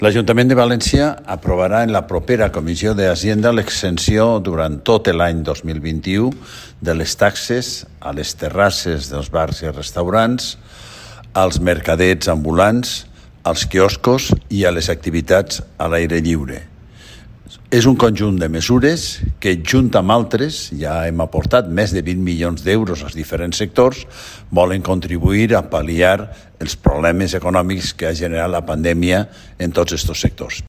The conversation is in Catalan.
L'Ajuntament de València aprovarà en la propera Comissió d'Hisenda l'exempció durant tot l'any 2021 de les taxes a les terrasses dels bars i restaurants, als mercadets ambulants, als quioscos i a les activitats a l'aire lliure. És un conjunt de mesures que, junt amb altres, ja hem aportat més de 20 milions d'euros als diferents sectors, volen contribuir a pal·liar els problemes econòmics que ha generat la pandèmia en tots aquests sectors.